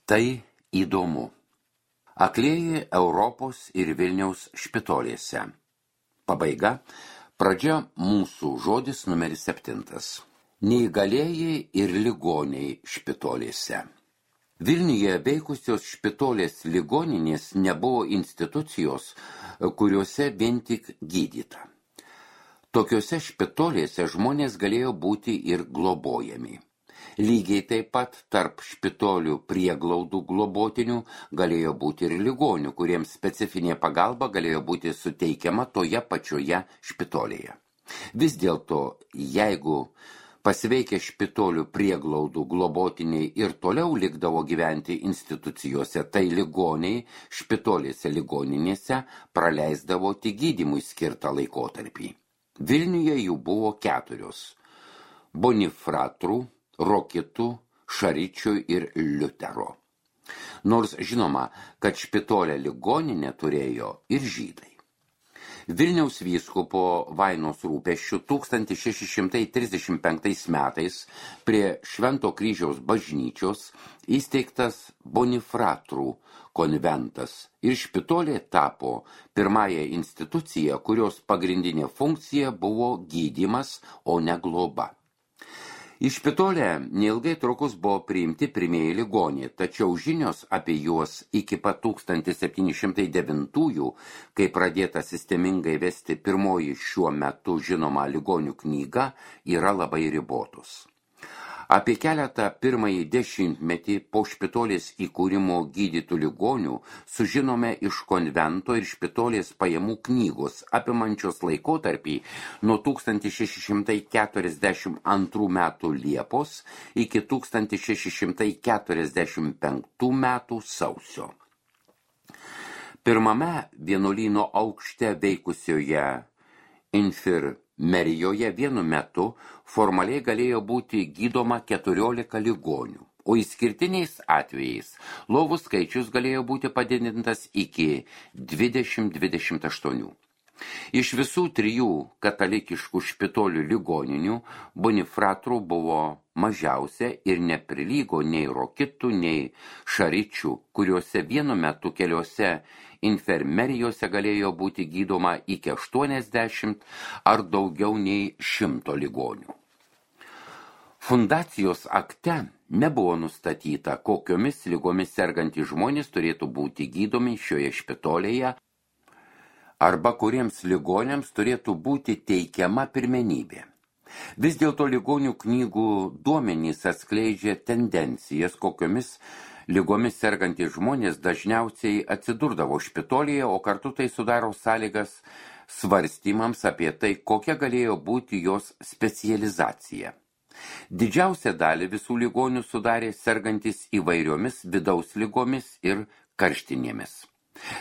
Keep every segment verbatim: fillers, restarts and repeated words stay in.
Tai įdomu. Aklieji Europos ir Vilniaus špitolėse. Pabaiga, pradžia mūsų žodis numeris septintas. Neįgalieji ir ligoniai špitolėse. Vilniuje veikusios špitolės ligoninės nebuvo institucijos, kuriuose vien tik gydyta. Tokiuose špitolėse žmonės galėjo būti ir globojami. Lygiai taip pat tarp špitolių prieglaudų globotinių galėjo būti ir ligonių, kuriems specifinė pagalba galėjo būti suteikiama toje pačioje špitolėje. Vis dėlto, jeigu pasveikę špitolių prieglaudų globotiniai ir toliau likdavo gyventi institucijose, tai ligoniai špitolėse ligoninėse praleisdavo tik gydymui skirtą laikotarpį. Vilniuje jų buvo keturios – Bonifratrų, Rokitų, Šaričių ir Liutero. Nors žinoma, kad špitolę ligoninę turėjo ir žydai. Vilniaus vyskupo Vainos rūpesčių tūkstantis šeši šimtai trisdešimt penktais metais prie Švento kryžiaus bažnyčios įsteigtas Bonifratrų konventas ir špitolė tapo pirmąją instituciją, kurios pagrindinė funkcija buvo gydymas, o ne globa. Į špitolę neilgai trukus buvo priimti pirmieji ligoniai, tačiau žinios apie juos iki pat tūkstantis septyni šimtai devintųjų, kai pradėta sistemingai vesti pirmoji šiuo metu žinoma ligonių knyga, yra labai ribotos. Apie keletą pirmąjį dešimtmetį po špitolės įkūrimo gydytų ligonių sužinome iš konvento ir špitolės pajamų knygos, apimančios laikotarpį nuo tūkstantis šeši šimtai keturiasdešimt antrų metų Liepos iki tūkstantis šeši šimtai keturiasdešimt penktų metų sausio. Pirmame vienuolyno aukšte veikusioje infirmerijoje vienu metu formaliai galėjo būti gydoma keturiolika ligonių, o išskirtiniais atvejais lovų skaičius galėjo būti padidintas iki dvidešimt dvidešimt aštuonių. Iš visų trijų katalikiškų špitolių ligoninių Bonifratrų buvo mažiausia ir neprilygo nei Rokitų, nei Šaričių, kuriuose vienu metu keliose infirmerijose galėjo būti gydoma iki aštuoniasdešimt ar daugiau nei šimto ligonių. Fundacijos akte nebuvo nustatyta, kokiomis ligomis sergantys žmonės turėtų būti gydomi šioje špitolėje arba kuriems ligoniams turėtų būti teikiama pirmenybė. Vis dėlto ligonių knygų duomenys atskleidžia tendencijas, kokiomis ligomis sergantys žmonės dažniausiai atsidurdavo špitolėje, o kartu tai sudaro sąlygas svarstymams apie tai, kokia galėjo būti jos specializacija. Didžiausią dalį visų ligonių sudarė sergantis įvairiomis vidaus ligomis ir karštinėmis.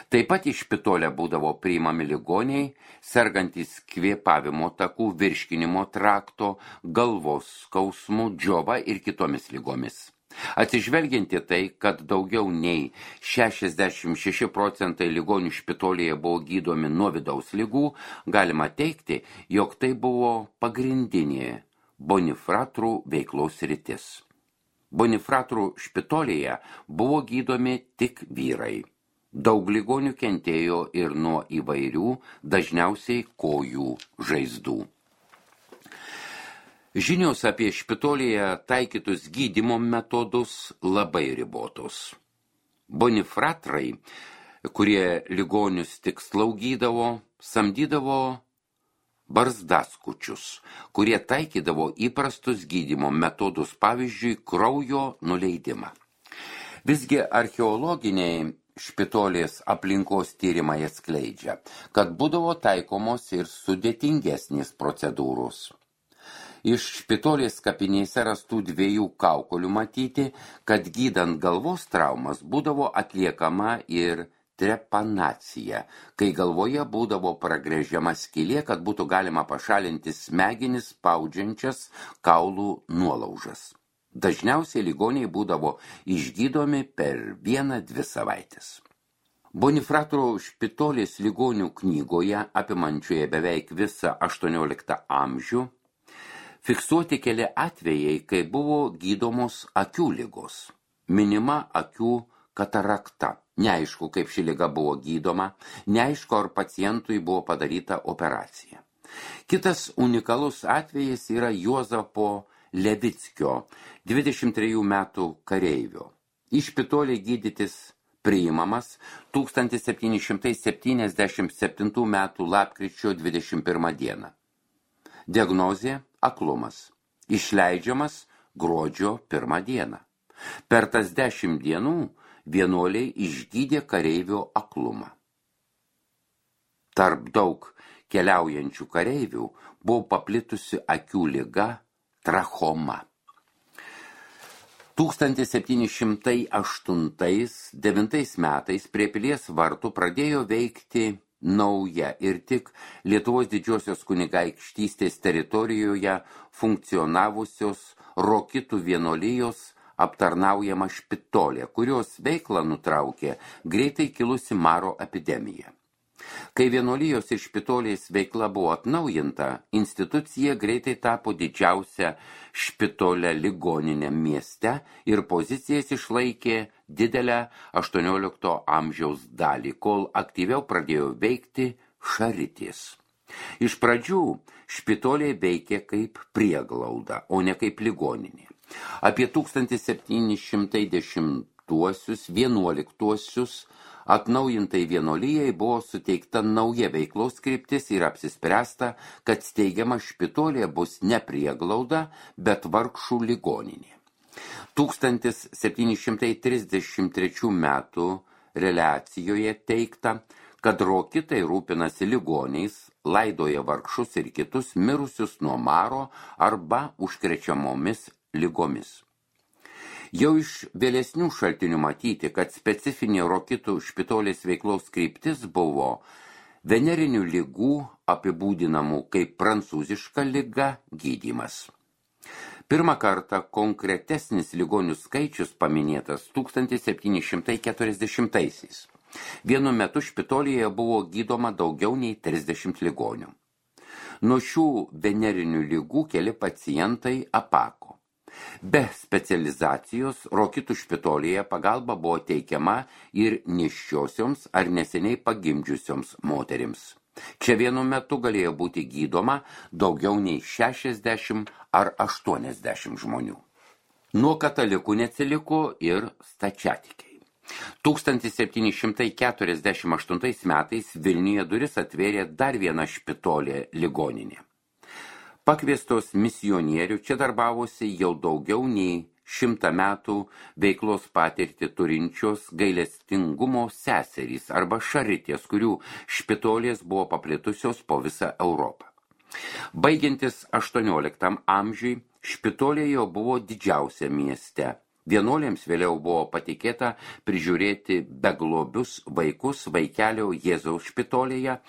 Taip pat į špitolę būdavo priimami ligoniai, sergantys kvėpavimo takų, virškinimo trakto, galvos skausmų, džiova ir kitomis ligomis. Atsižvelgianti tai, kad daugiau nei šešiasdešimt šeši procentai ligonių špitolėje buvo gydomi nuo vidaus ligų, galima teigti, jog tai buvo pagrindinė Bonifratrų veiklos sritis. Bonifratrų špitolėje buvo gydomi tik vyrai. Daug ligonių kentėjo ir nuo įvairių, dažniausiai kojų žaizdų. Žinios apie špitolėje taikytus gydymo metodus labai ribotos. Bonifratrai, kurie ligonius tik slaugydavo, samdydavo barzdaskučius, kurie taikydavo įprastus gydymo metodus, pavyzdžiui, kraujo nuleidimą. Visgi archeologiniai špitolės aplinkos tyrimai atskleidžia, kad būdavo taikomos ir sudėtingesnės procedūros. Iš špitolės kapinėse rastų dviejų kaukolių matyti, kad gydant galvos traumas būdavo atliekama ir trepanacija, kai galvoje būdavo pragręžiama skylė, kad būtų galima pašalinti smegenis spaudžiančias kaulų nuolaužas. Dažniausiai ligoniai būdavo išgydomi per vieną dvi savaitės. Bonifratrų špitolės ligonių knygoje, apimančioje beveik visą aštuonioliktą amžių, fiksuoti keli atvejai, kai buvo gydomos akių ligos. minima akių katarakta. Neaišku, kaip ši liga buvo gydoma, neaišku, ar pacientui buvo padaryta operacija. Kitas unikalus atvejis yra Juozapo Levickio, dvidešimt trejų metų kareivio. Į Špitolį gydytis priimamas tūkstantis septyni šimtai septyniasdešimt septintų metų lapkričio dvidešimt pirmą dieną. Diagnozė – aklumas. Išleidžiamas gruodžio pirmą dieną. Per tas dešimt dienų vienuoliai išgydė kareivio aklumą. Tarp daug keliaujančių kareivių buvo paplitusi akių liga trachoma. tūkstantis septyni šimtai aštuntais devintais metais prie Pilies vartų pradėjo veikti nauja ir tik Lietuvos didžiosios kunigaikštystės teritorijoje funkcionavusios Rokitų vienuolijos aptarnaujama Špitolė, kurios veiklą nutraukė greitai kilusi maro epidemija. Kai vienuolijos ir Špitolės veikla buvo atnaujinta, institucija greitai tapo didžiausia Špitolė ligoninė mieste ir pozicijas išlaikė didelę aštuoniolikto amžiaus dalį, kol aktyviau pradėjo veikti Šaritės. Iš pradžių Špitolė veikė kaip prieglauda, o ne kaip ligoninė. Apie tūkstantis septyni šimtai dešimtuosius vienuoliktuosius atnaujintai vienuolijai buvo suteikta nauja veiklos kryptis ir apsispręsta, kad steigiama Špitolė bus ne prieglauda, bet vargšų ligoninė. tūkstantis septyni šimtai trisdešimt trečių metų reliacijoje teigta, kad Rokitai rūpinasi ligoniais, laidoja vargšus ir kitus mirusius nuo maro arba užkrečiamomis ligomis. Jau iš vėlesnių šaltinių matyti, kad specifinė Rokitų Špitolės veiklos kryptis buvo venerinių ligų apibūdinamų kaip prancūziška liga gydymas. Pirmą kartą konkretesnis ligonių skaičius paminėtas tūkstantis septyni šimtai keturiasdešimtaisiais. Vienu metu Špitolėje buvo gydoma daugiau nei trisdešimt ligonių. Nuo šių venerinių ligų keli pacientai apako. Be specializacijos Rokitų Špitolėje pagalba buvo teikiama ir nėščiosioms ar neseniai pagimdžiusioms moterims. Čia vienu metu galėjo būti gydoma daugiau nei šešiasdešimt ar aštuoniasdešimt žmonių. Nuo katalikų neatsiliko ir stačiatikiai. tūkstantis septyni šimtai keturiasdešimt aštuntais metais Vilniuje duris atvėrė dar viena Špitolė ligoninė. Pakviestos misionierių čia darbavosi jau daugiau nei šimtą metų veiklos patirtį turinčios gailestingumo seserys arba šaritės, kurių Špitolės buvo paplitusios po visą Europą. Baigiantis aštuonioliktam amžiui, Špitolė jau buvo didžiausia mieste. Vienuolėms vėliau buvo patikėta prižiūrėti beglobius vaikus vaikelio Jėzaus Špitolėje,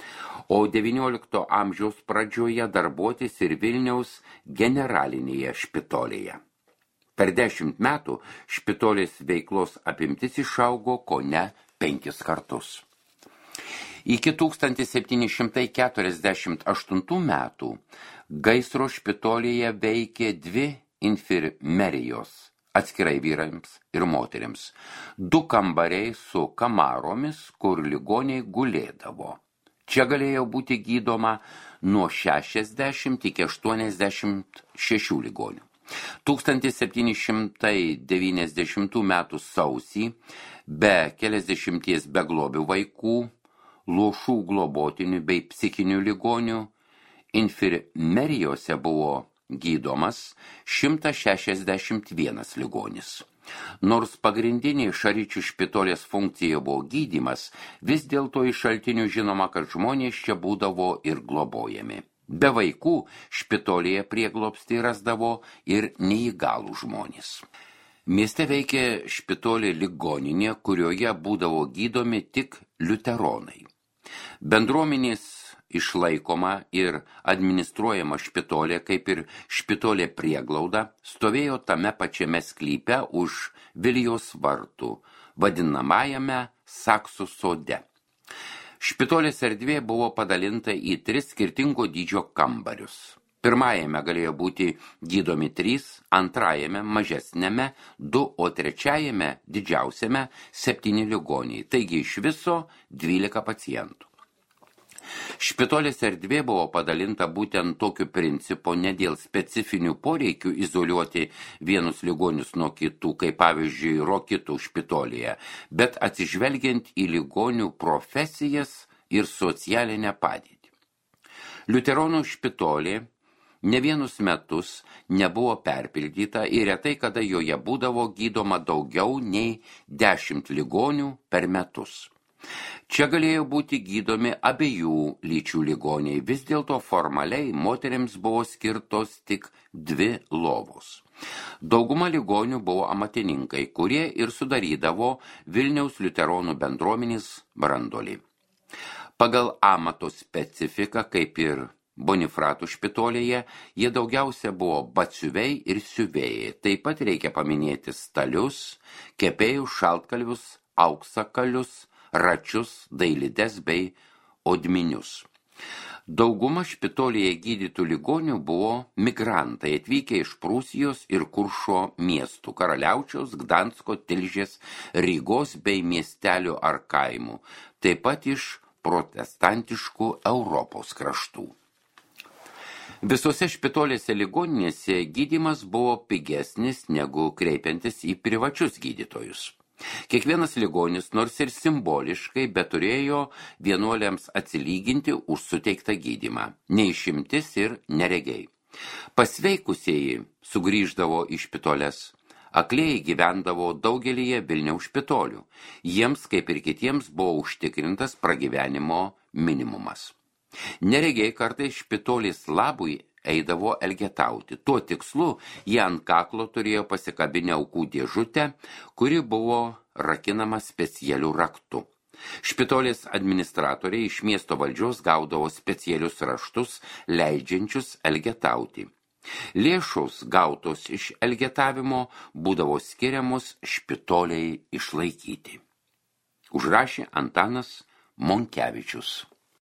o devyniolikto amžiaus pradžioje darbuotis ir Vilniaus generalinėje Špitolėje. Per dešimt metų Špitolės veiklos apimtis išaugo kone penkis kartus. Iki tūkstantis septyni šimtai keturiasdešimt aštuntų metų gaisro Špitolėje veikė dvi infirmerijos, atskirai vyrams ir moterims, du kambariai su kamaromis, kur ligoniai gulėdavo. Čia galėjo būti gydoma nuo šešiasdešimt iki aštuoniasdešimt šešių ligonių. tūkstantis septyni šimtai devyniasdešimtų metų sausį be keliasdešimties beglobių vaikų, luošų globotinių bei psichinių ligonių infirmerijose buvo gydomas šimtas šešiasdešimt vienas ligonis. Nors pagrindinė Šaričių Špitolės funkcija buvo gydymas, vis dėlto iš šaltinių žinoma, kad žmonės čia būdavo ir globojami. Be vaikų Špitolėje prieglobstį rasdavo ir neįgalų žmonės. Mieste veikė Špitolė ligoninė, kurioje būdavo gydomi tik liuteronai. Bendruomenės išlaikoma ir administruojama Špitolė, kaip ir Špitolė prieglauda, stovėjo tame pačiame sklype už Vilijos vartų, vadinamajame Saksų sode. Špitolės erdvė buvo padalinta į tris skirtingo dydžio kambarius. Pirmajame galėjo būti gydomi trys, antrajame mažesnėme du, o trečiajame didžiausiame septyni ligoniai, taigi iš viso dvylika pacientų. Špitolės erdvė buvo padalinta būtent tokiu principu, ne dėl specifinių poreikių izoliuoti vienus ligonius nuo kitų, kaip pavyzdžiui Rokitų špitolėje, bet atsižvelgiant į ligonių profesijas ir socialinę padėtį. Liuteronų špitolė ne vienus metus nebuvo perpildyta ir retai kada joje būdavo gydoma daugiau nei dešimt ligonių per metus. Čia galėjo būti gydomi abiejų lyčių ligoniai, vis dėlto formaliai moterims buvo skirtos tik dvi lovos. Dauguma ligonių buvo amatininkai, kurie ir sudarydavo Vilniaus liuteronų bendruomenės branduolį. Pagal amato specifiką, kaip ir Bonifratų špitolėje, jie daugiausia buvo batsiuviai ir siuvėjai. Taip pat reikia paminėti stalius, kepėjus, šaltkalvius, auksakalius, račius, dailides bei odminius. Dauguma špitolėje gydytų ligonių buvo migrantai atvykę iš Prūsijos ir Kuršo miestų, Karaliaučiaus, Gdansko, Tilžės, Rygos bei miestelių ar kaimų, taip pat iš protestantiškų Europos kraštų. Visose špitolėse ligoninėse gydymas buvo pigesnis negu kreipiantis į privačius gydytojus. Kiekvienas ligonis, nors ir simboliškai, bet turėjo vienuoliams atsilyginti už suteiktą gydymą, neišimtis ir neregiai. Pasveikusieji sugrįždavo į špitoles, aklieji gyvendavo daugelyje Vilniaus špitolių. Jiems, kaip ir kitiems, buvo užtikrintas pragyvenimo minimumas. Neregiai kartais špitolės labui eidavo elgetauti. Tuo tikslu jie ant kaklo turėjo pasikabinę aukų dėžutę, kuri buvo rakinama specialiu raktu. Špitolės administratoriai iš miesto valdžios gaudavo specialius raštus, leidžiančius elgetauti. Lėšos gautos iš elgetavimo būdavo skiriamos špitoliai išlaikyti. Užrašė Antanas Monkevičius.